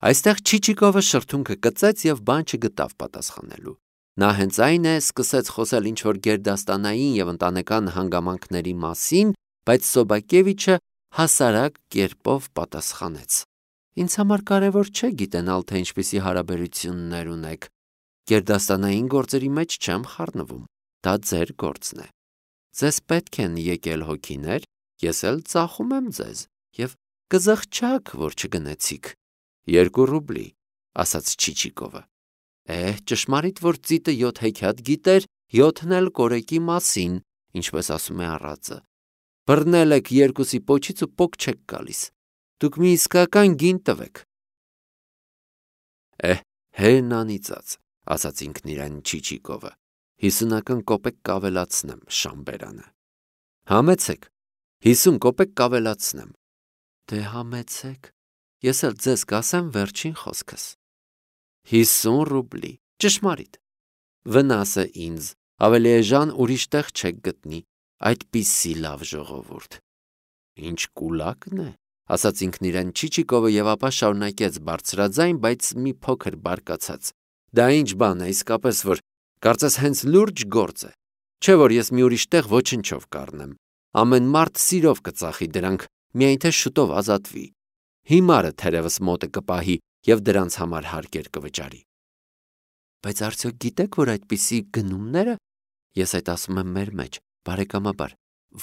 Այստեղ Չիչիկովը շրթունքը կծեց և բան չգտավ պատասխանելու։ Նա հենց այն է սկսեց խոսել ինչ-որ գերդաստանային և ընտանեկան հանգամանքների մասին, բայց Սոբակևիչը հասարակ կերպով պատասխանեց. «Ինձ համար կարևոր չէ գիտենալ, թե ինչպիսի հարաբերություններ ունեք։ Գերդաստանային գործերի մեջ չեմ խառնվում, դա ձեր գործն է։ Ձեզ պետք են եկել հոգիներ, ես էլ ծախում եմ ձեզ, և կզղջաք, որ չգնեցիք»։ 2 ռուբլի, ասաց Չիչիկովը։ Ճշմարիտ, որ ծիտը 7 հեքիաթ գիտեր, 7-ն էլ կորեկի մասին, ինչպես ասում է առածը։ Բռնել եք 2-ի պոչից ու պոկ չեք գալիս։ Դուք մի իսկական գին տվեք։ Հեն անիծած, ասաց ինքն իրեն Չիչիկովը, 50 կոպեկ կավելացնեմ Շամբերանը։ Համեցեք, 50 կոպեկ կավելացնեմ։ Դե համեցեք, ես էլ ձեզ կասեմ վերջին խոսքս։ 50 ռուբլի, ճշմարիտ։ Վնասը ինձ, ավելի էժան ուրիշ տեղ չեք գտնի, այդպիսի լավ ժողովուրդ։ Ինչ կուլակն է, ասաց ինքն իրեն Չիչիկովը և ապա շարունակեց բարձրաձայն, բայց մի փոքր բարկացած. Դա ինչ բան է իսկապես, որ կարծես հենց լուրջ գործ է, չէ որ ես մի ուրիշ տեղ ոչնչով կառնեմ, ամեն մարդ սիրով կծախի դրանք, միայն թե շուտով ազատվի, հիմարը թերևս մոտը կպահի և դրանց համար հարկեր կվճարի։ Բայց արդյոք գիտեք, որ այդպիսի գնումները, ես այդ ասում եմ մեր մեջ, բարեկամաբար,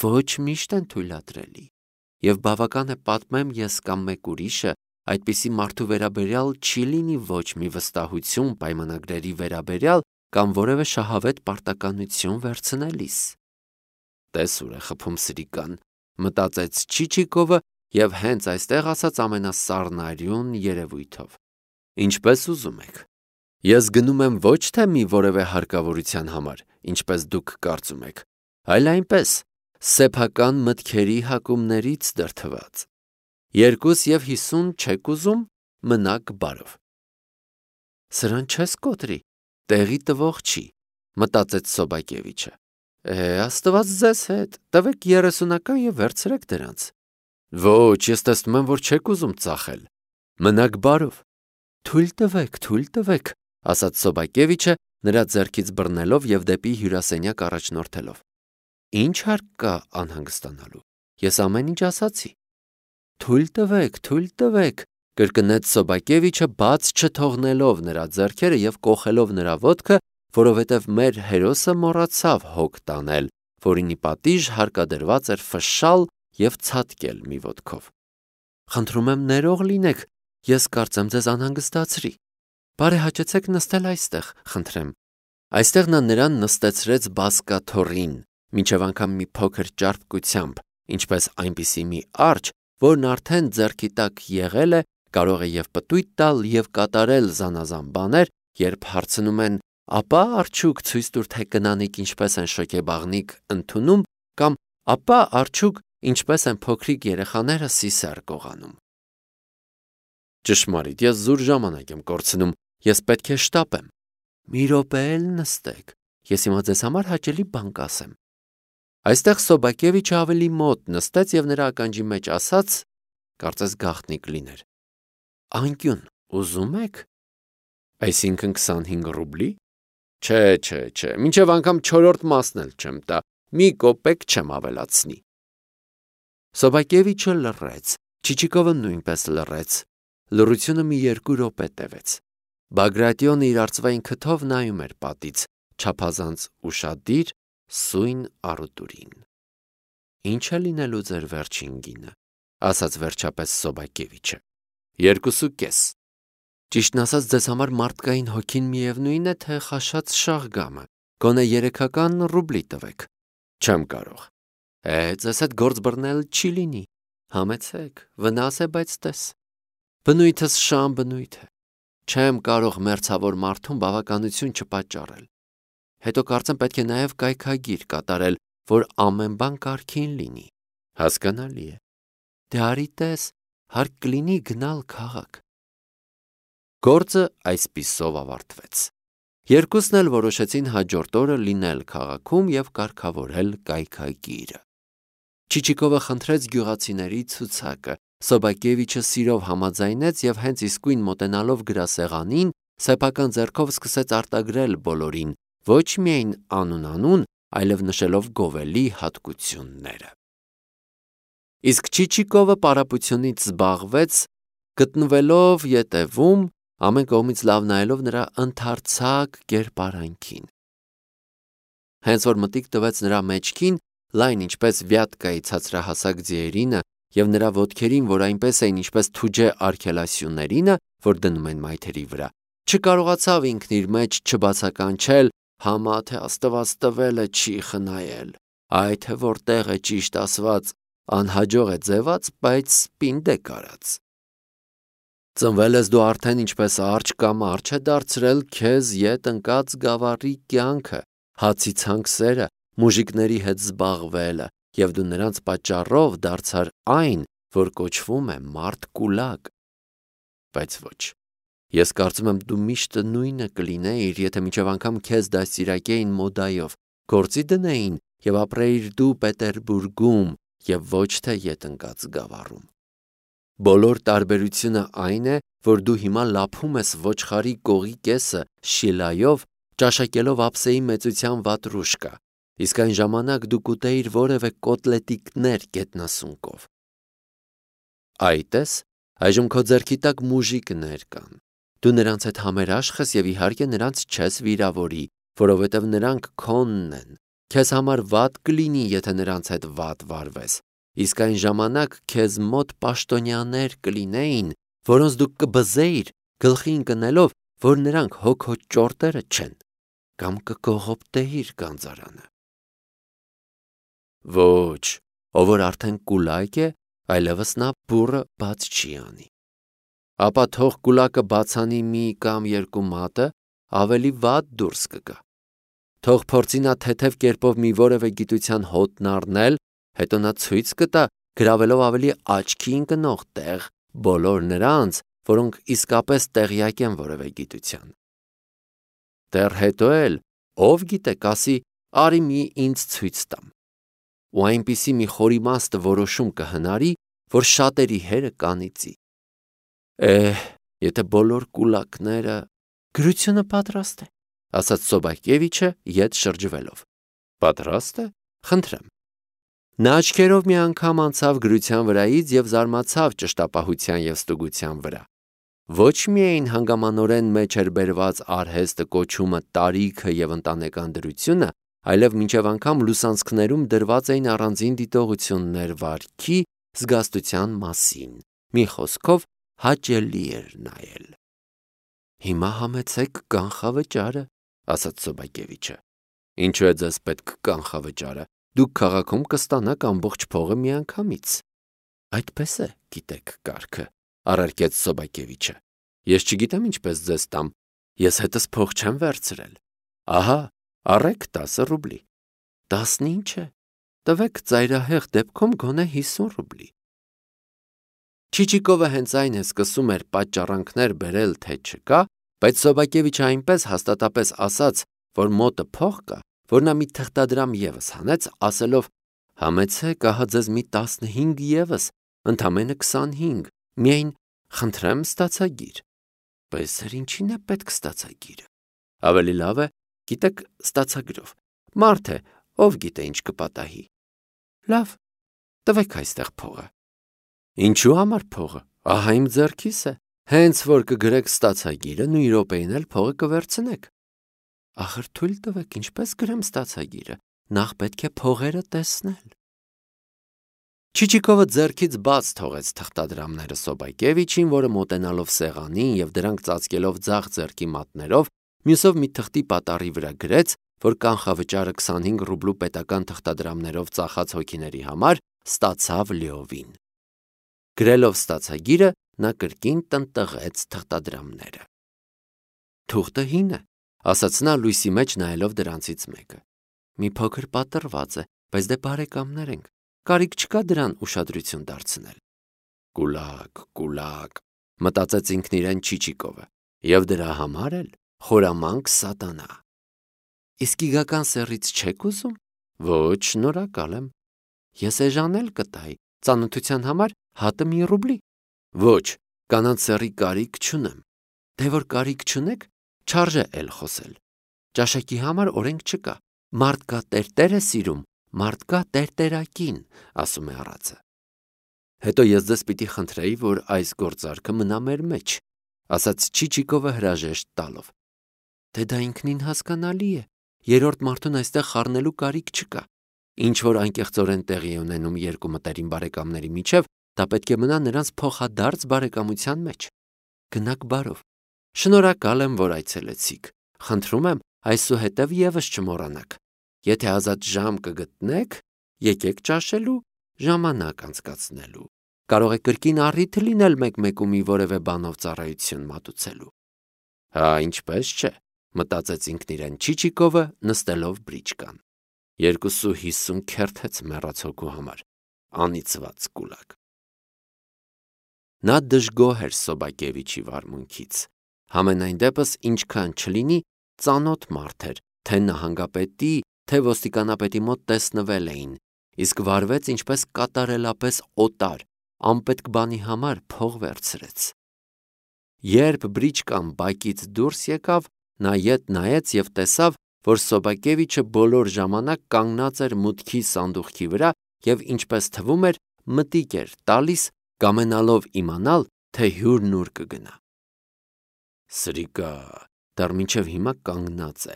ոչ միշտ են թույլատրելի, և բավական է պատմեմ ես կամ մեկ ուրիշը, այդպիսի մարդու վերաբերյալ չի լինի ոչ մի վստահություն պայմանագրերի վերաբերյալ կամ որևէ շահավետ պարտականություն վերցնելիս։ Տես ուր է խփում սրիկան, մտածեց Չիչիկովը և հենց այստեղ ասաց ամենասառնարյուն երևույթով. Ինչպես ուզում եք։ Ես գնում եմ ոչ թե մի որևէ հարկավորության համար, ինչպես դուք կարծում եք, այլ այնպես, սեփական մտքերի հակումներից դրդված։ 2,50 չեք ուզում, մնաք բարով։ Սրան չես կոտրի, տեղի տվող չի, մտածեց Սոբակևիչը։ Աստված ձեզ հետ, տվեք 30 և վերցրեք դրանց։ Ոչ, ես տեսնում եմ, որ չեք ուզում ծախել։ Մնաք բարով։ Թույլ տվեք, ասաց Սոբակևիչը նրա ձեռքից բռնելով և դեպի հյուրասենյակ առաջնորդելով։ Ինչ հարկ կա անհանգստանալու, ես ամեն ինչ ասացի։ Թույլ տվեք, կրկնեց Սոբակևիչը բաց չթողնելով նրա ձեռքերը և կոխելով նրա ոտքը, որովհետև մեր հերոսը մոռացավ հոգ տանել, որինի պատիժ հարկադրված էր ֆշշալ և ցատկել մի ոտքով։ Խնդրում եմ ներող լինեք, ես կարծեմ ձեզ անհանգստացրի։ Բարեհաճեցեք նստել այստեղ, խնդրեմ։ Այստեղ նա նրան նստեցրեց բազկաթոռին, մինչև անգամ մի փոքր ճարպկությամբ, ինչպես այնպիսի մի արջը, որն արդեն ձեռքի տակ եղել է, կարող է և պտույտ տալ և կատարել զանազան բաներ, երբ հարցնում են, ապա արդյոք ցույց տուր, թե կնանիք ինչպես են շոգեբաղնիկ ընդունում, կամ ապա արդյոք ինչպես են փոքրիկ երեխաները սիսեռ կողանում։ Ճշմարիտ, ես զուր ժամանակ եմ կորցնում, ես պետք է շտապեմ։ Մի րոպե էլ նստեք, ես հիմա ձեզ համար հաճելի բան կասեմ։ Այստեղ Սոբակևիչը ավելի մոտ նստեց և նրա ականջի մեջ ասաց, կարծես գաղտնիք լիներ. Անկյուն, ուզում եք։ Այսինքն 25 ռուբլի։ Չէ, մինչև անգամ 4-րդ մասն էլ չեմ տա, մի կոպեկ չեմ ավելացնի։ Սոբակևիչը լռեց, Չիչիկովը նույնպես լռեց։ Լռությունը մի 2 րոպե տևեց։ Բագրատիոնը իր արծվային քթով նայում էր պատից, չափազանց ուշադիր, սույն առուտուրին։ Ինչ է լինելու ձեր վերջին գինը, ասաց վերջապես Սոբակևիչը։ 2,5։ Ճիշտն ասած, ձեզ համար մարդկային հոգին միևնույն է, թե խաշած շաղգամը, գոնե 3 ռուբլի տվեք։ Չեմ կարող։ Ձեզ հետ գործ բռնել չի լինի։ Համեցեք, վնաս է, բայց տես։ Բնույթս շան բնույթ է։ Չեմ կարող մերձավոր մարդուն բավականություն չպատճառել։ Հետո կարծեմ պետք է նաև կայքագիր կատարել, որ ամեն բան կարգին լինի։ Հասկանալի է։ Դե արի տես, հարկ կլինի գնալ քաղաք։ Գործը այսպիսով ավարտվեց։ Երկուսն էլ որոշեցին հաջորդ օրը լինել քաղաքում և կարգավորել կայքագիրը։ Չիչիկովը խնդրեց գյուղացիների ցուցակը, Սոբակևիչը սիրով համաձայնեց եւ հենց իսկույն մոտենալով գրասեղանին, սեփական ձեռքով սկսեց արտագրել բոլորին, ոչ միայն անուն, այլև նշելով գովելի հատկությունները։ Իսկ Չիչիկովը պարապությունից զբաղվեց, գտնվելով ետևում, ամեն կողմից լավ նայելով նրա ընդարձակ կերպարանքին։ Հենց որ մտիկ տվեց նրա մեջքին, լայն ինչպես Վյատկայի ցածրահասակ ձիերինը եւ նրա ոտքերին, որ այնպես էին ինչպես թուջե արգելասյուներինը, որ դնում են մայթերի վրա, չկարողացավ ինքն իր մեջ չբացականչել, համա թե Աստված տվելը չի խնայել, այ թե որտեղ է ճիշտ ասված, անհաջող է ձևած, բայց պինդ է կարած։ Ծնվել ես դու արդեն ինչպես արջ կամ արջ է դարձրել քեզ ետ ընկած գավառի կյանքը, հացի ցանքսերը, մուժիկների հետ զբաղվելը, եւ դու նրանց պատճառով դարձար այն, որ կոչվում է մարդ կուլակ։ Բայց ոչ, ես կարծում եմ դու միշտ նույնը կլինեիր, եթե մինչև անգամ քեզ դաստիարակեին մոդայով, գործի դնեին եւ ապրեիր դու Պետերբուրգում եւ ոչ թե ետ ընկած գավառում։ Բոլոր տարբերությունը այն է, որ դու հիմա լափում ես ոչխարի կողի կեսը շիլայով, ճաշակելով ափսեի մեծության վատրուշկա, իսկ այն ժամանակ դու կուտեիր որևէ կոտլետիկներ գետնասունկով։ Այ տես, այժմ քո ձեռքի տակ մուժիկներ կան։ Դու նրանց հետ համերաշխ ես եւ իհարկե նրանց չես վիրավորի, որովհետեւ նրանք քոնն են։ Քեզ համար վատ կլինի, եթե նրանց հետ վատ վարվես, իսկ այն ժամանակ քեզ մոտ պաշտոնյաներ կլինեին, որոնց դու կբզեիր, գլխի ընկնելով, որ նրանք հոգ ճորտերը չեն, կամ կկողոպտեիր գանձարանը։ Ոչ, ով որ արդեն կուլակ է, այլևս նա բուռը բաց չի անի։ Ապա թող կուլակը բացանի մի կամ երկու մատը, ավելի վատ դուրս կգա։ Թող փորձի նա թեթև կերպով մի որևէ գիտության հոտն առնել, հետո նա ցույց կտա, գրավելով ավելի աչքի ընկնող տեղ բոլոր նրանց, որոնք իսկապես տեղյակ են որևէ գիտության։ Դեռ հետո էլ, ով գիտե, կասի, արի մի ինձ ցույց տամ։ Ու այնպիսի մի խորիմաստ որոշում կհնարի, որ շատերի հերը կանիծի։ Եթե բոլոր կուլակները… Գրությունը պատրաստ է, ասաց Սոբակևիչը ետ շրջվելով։ Պատրաստ է, խնդրեմ։ Նա աչքերով մի անգամ անցավ գրության վրայից եւ զարմացավ ճշտապահության եւ ստուգության վրա։ Ոչ միայն հանգամանորեն մեջ էր բերված արհեստը կոչումը տարիքը եւ ընտանեկան դրությունը, այլև մինչև անգամ լուսանցքներում դրված էին առանձին դիտողություններ վարքի, զգաստության մասին։ Մի խոսքով հաճելի էր նայել։ Հիմա համեցեք կանխավճարը, ասաց Սոբակևիչը։ Ինչու է ձեզ պետք կանխավճարը։ Դուք քաղաքում կստանաք ամբողջ փողը միանգամից։ Այդպես է, գիտեք կարգը, առարկեց Սոբակևիչը։ Ես չգիտեմ ինչպես ձեզ տամ, ես հետս փող չեմ վերցրել։ Ահա, առեք 10 ռուբլի։ 10 ինչ է։ Տվեք ծայրահեղ դեպքում գոնե 50 ռուբլի։ Չիչիկովը հենց այն է սկսում էր պատճառանքներ բերել, թե չկա, բայց Սոբակևիչը այնպես հաստատապես ասաց, որ մոտը փող կա, որ նա մի թղթադրամ եւս հանեց, ասելով. համեցեք, ահա ձեզ մի 15 եւս, ընդամենը 25, միայն խնդրեմ ստացագիր։ Բայց ինչին է պետք ստացագիրը։ Ավելի լավ է, գիտեք, ստացագրով։ Մարդ է, ով գիտե ինչ կպատահի։ Լավ, տվեք այստեղ փողը։ Ինչու համար փողը։ Ահա իմ ձեռքիս է։ Հենց որ կգրեք ստացագիրը, նույն րոպեին էլ փողը կվերցնեք։ Ախր թույլ տվեք, ինչպես գրեմ ստացագիրը, նախ պետք է փողերը տեսնել։ Չիչիկովը ձեռքից բաց թողեց թղթադրամները Սոբակևիչին, որը մոտենալով սեղանին եւ դրանք ծածկելով ձախ ձեռքի մատներով, մյուսով մի թղթի պատառի վրա գրեց, որ կանխավճարը 25 ռուբլու պետական թղթադրամներով ծախած հոգիների համար ստացավ լիովին։ Գրելով ստացագիրը, նա կրկին տնտղեց թղթադրամները։ Թուղթը հին է, ասաց նա լույսի մեջ նայելով դրանցից մեկը։ Մի փոքր պատռված է, բայց դե բարեկամներ ենք, կարիք չկա դրան ուշադրություն դարձնել։ Կուլակ, մտածեց ինքն իրեն Չիչիկովը, եւ դրա համար էլ խորամանկ սատանա։ Իսկ իգական սեռից չեք ուզում։ Ոչ, շնորհակալ եմ։ Ես էժանել կտայի, ծանոթության համար հատը մի ռուբլի։ Ոչ, կանանց սեռի կարիք չունեմ։ Դե որ կարիք չունեք, չարժե էլ խոսել։ Ճաշակի համար օրենք չկա։ Մարդ կա տերտեր է սիրում, մարդ կա տերտերակին, ասում է առածը։ Հետո ես ձեզ պիտի խնդրեի, որ այս գործարքը մնա մեր մեջ, ասաց Չիչիկովը հրաժեշտ տալով։ Դե դա ինքնին հասկանալի է, երրորդ մարդուն այստեղ խառնելու կարիք չկա։ Ինչ որ անկեղծորեն տեղի է ունենում երկու մտերիմ բարեկամների միջև, դա պետք է մնա նրանց փոխադարձ բարեկամության մեջ։ Գնաք բարով։ Շնորհակալ եմ, որ այցելեցիք։ Խնդրում եմ, այսուհետև եւս չմոռանաք։ Եթե ազատ ժամ կգտնեք, եկեք ճաշելու, ժամանակ անցկացնելու։ Կարող է կրկին առիթ լինել մեկ-մեկումի որևէ բանով ծառայություն մատուցելու։ Հա, ինչպես չէ, մտածեց ինքն իրեն Չիչիկովը, նստելով բրիչկան։ 250 քերթեց մեռած հոգու համար, անիծված կուլակ։ Նա դժգոհ էր Սոբակևիչի վարմունքից։ Համենայն դեպս ինչքան չլինի, ծանոթ մարդ էր, թե նահանգապետի, թե ոստիկանապետի մոտ տեսնվել էին, իսկ վարվեց ինչպես կատարելապես օտար, անպետք բանի համար փող վերցրեց։ Երբ բրիչկան բակից դուրս եկավ, նա ետ նայեց եւ տեսավ, որ Սոբակևիչը բոլոր ժամանակ կանգնած էր մուտքի սանդուղքի վրա եւ ինչպես թվում էր, մտիկ էր տալիս, կամենալով իմանալ, թե հյուրն ուր կգնա։ Սրիկա, դեռ մինչև հիմա կանգնած է,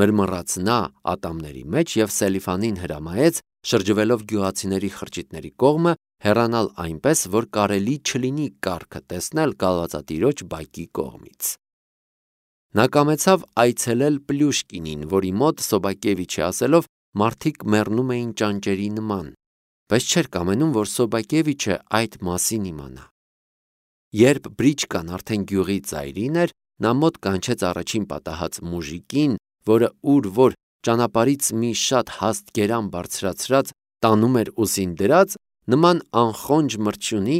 մրմռաց նա ատամների մեջ եւ Սելիֆանին հրամայեց, շրջվելով գյուղացիների խրճիթների կողմը, հեռանալ այնպես, որ կարելի չլինի կառքը տեսնել կալվածատիրոջ բակի կողմից։ Նա կամեցավ այցելել Պլյուշկինին, որի մոտ Սոբակևիչի ասելով մարդիկ մեռնում էին ճանճերի նման, բայց չէր կամենում, որ Սոբակևիչը այդ մասին իմանա։ Երբ բրիչկան արդեն գյուղի ծայրին էր, նա մոտ կանչեց առաջին պատահած մուժիկին, որը ուր որ ճանապարհից մի շատ հաստ գերան բարձրացրած տանում էր ուսին դրած, նման անխոնջ մրջյունի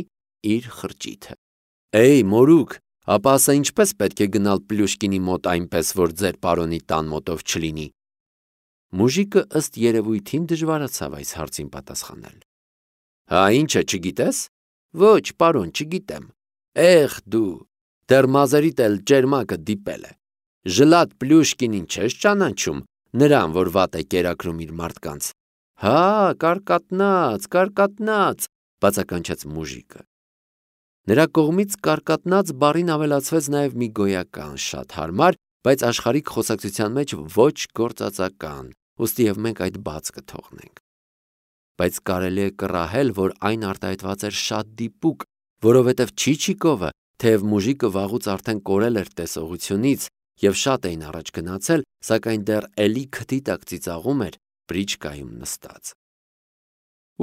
իր խրճիթը։ Էй, մորուք, ապա ասա ինչպես պետք է գնալ Պլյուշկինի մոտ այնպես, որ ձեր պարոնի տան մոտով չլինի։ Մուժիկը ըստ երևույթին դժվարացավ այս հարցին պատասխանել։ Հա, ինչը չգիտես։ Ոչ, պարոն, չգիտեմ։ Էխ դու, դեռ մազերիդ էլ ճերմակը դիպել է։ Ժլատ Պլյուշկինին չես ճանաչում, նրան, որ վատ է կերակրում իր մարդկանց։ Հա, կարկատնած, բացականչեց մուժիկը։ Նրա կողմից կարկատնած բառին ավելացվեց նաև մի գոյական շատ հարմար, բայց աշխարհիկ խոսակցության մեջ ոչ գործածական, ուստի եւ մենք այդ բաց կթողնենք։ Բայց կարելի է կռահել, որ այն արտահայտված էր շատ դիպուկ, որովհետև Չիչիկովը, թեև մուժիկը վաղուց արդեն կորել էր տեսողությունից եւ շատ էին առաջ գնացել, սակայն դեռ էլի քթի տակ ծիծաղում էր բրիչկայում նստած։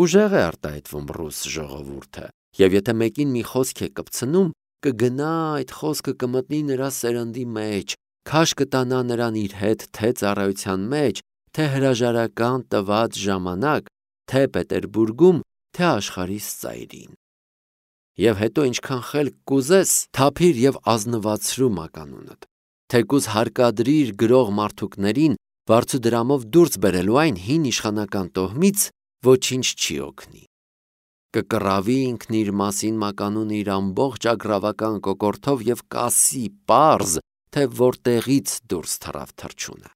Ուժեղ է արտահայտվում ռուս ժողովուրդը, եւ եթե մեկին մի խոսք է կպցնում, կգնա այդ խոսքը կմտնի նրա սերնդի մեջ, քաշ կտանա նրան իր հետ թե ծառայության մեջ, թե հրաժարական տված ժամանակ, թե Պետերբուրգում, թե աշխարհի ծայրին։ Եվ հետո ինչքան խելք կուզես, թափիր եւ ազնվացրու մականունդ, թեկուզ հարկադրիր գրող մարդուկներին վարձուդրամով դուրս բերելու այն հին իշխանական տոհմից, ոչինչ չի օգնի։ Կկռավի ինքն իր մասին մականունը իր ամբողջ ագրավական կոկորդով եւ կասի պարզ, թե որտեղից դուրս թռավ թռչունը։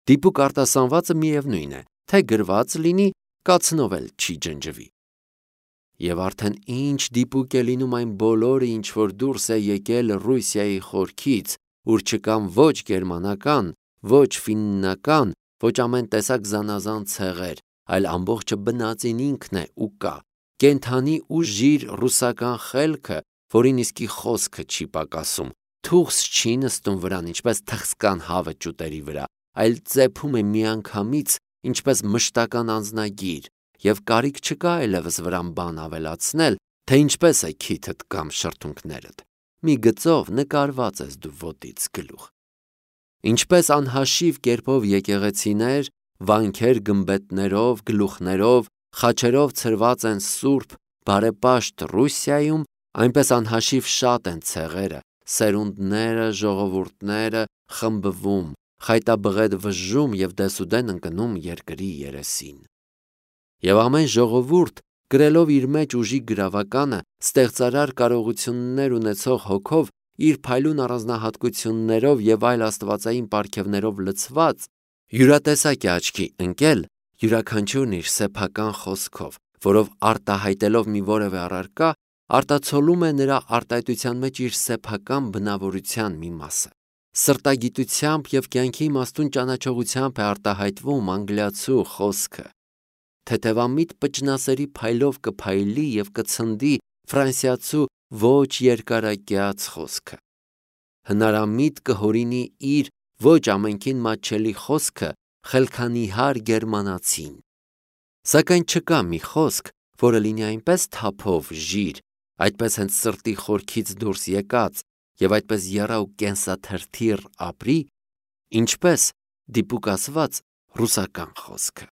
Դիպուկ արտասանվածը միևնույն է, թե գրված լինի, կացնով էլ չի ջնջվի։ Եվ արդեն ինչ դիպուկ է լինում այն բոլորը, ինչ որ դուրս է եկել Ռուսիայի խորքից, ուր չկան ոչ գերմանական, ոչ ֆիննական, ոչ ամեն տեսակ զանազան ցեղեր, այլ ամբողջը բնածին ինքն է ու կա, կենթանի ու ժիր ռուսական խելքը, որին իսկի խոսքը չի պակասում, թուղս չի նստում վրան, ինչպես թխսկան հավը ճուտերի վրա, այլ ծեփում է միանգամից, ինչպես մշտական անձնագիր, եւ կարիք չկա այլևս վրան բան ավելացնել, թե ինչպես է քիթդ կամ շրթունքներդ։ Մի գծով նկարված ես դու ոտից գլուխ։ Ինչպես անհաշիվ կերպով եկեղեցիներ, վանքեր գմբեթներով, գլուխներով, խաչերով ցրված են սուրբ, բարեպաշտ Ռուսիայում, այնպես անհաշիվ շատ են ցեղերը, սերունդները, ժողովուրդները խմբվում, խայտաբղետ վժում եւ դեսուդեն ընկնում երկրի երեսին։ Եվ ամեն ժողովուրդ կրելով իր մեջ ուժի գրավականը, ստեղծարար կարողություններ ունեցող հոգով, իր փայլուն առանձնահատկություններով եւ այլ աստվածային պարգևներով լցված, յուրատեսակ է աչքի ընկել յուրաքանչյուրն իր սեփական խոսքով, որով արտահայտելով մի որևէ առարկա, արտացոլում է նրա արտահայտության մեջ իր սեփական բնավորության մի մասը։ Սրտագիտությամբ եւ կյանքի իմաստուն ճանաչողությամբ է արտահայտվում անգլիացու խոսքը։ Թեթևամիտ պճնասերի փայլով կփայլի եւ կցնդի ֆրանսիացու ոչ երկարակյաց խոսքը։ Հնարամիտ կհորինի իր ոչ ամենքին մատչելի խոսքը խելքանիհար գերմանացին։ Սակայն չկա մի խոսք, որը լինի այնպես թափով ժիր, այդպես հենց սրտի խորքից դուրս եկած եւ այդպես եռա ու կենսաթրթիռ ապրի, ինչպես դիպուկ ասված ռուսական խոսքը։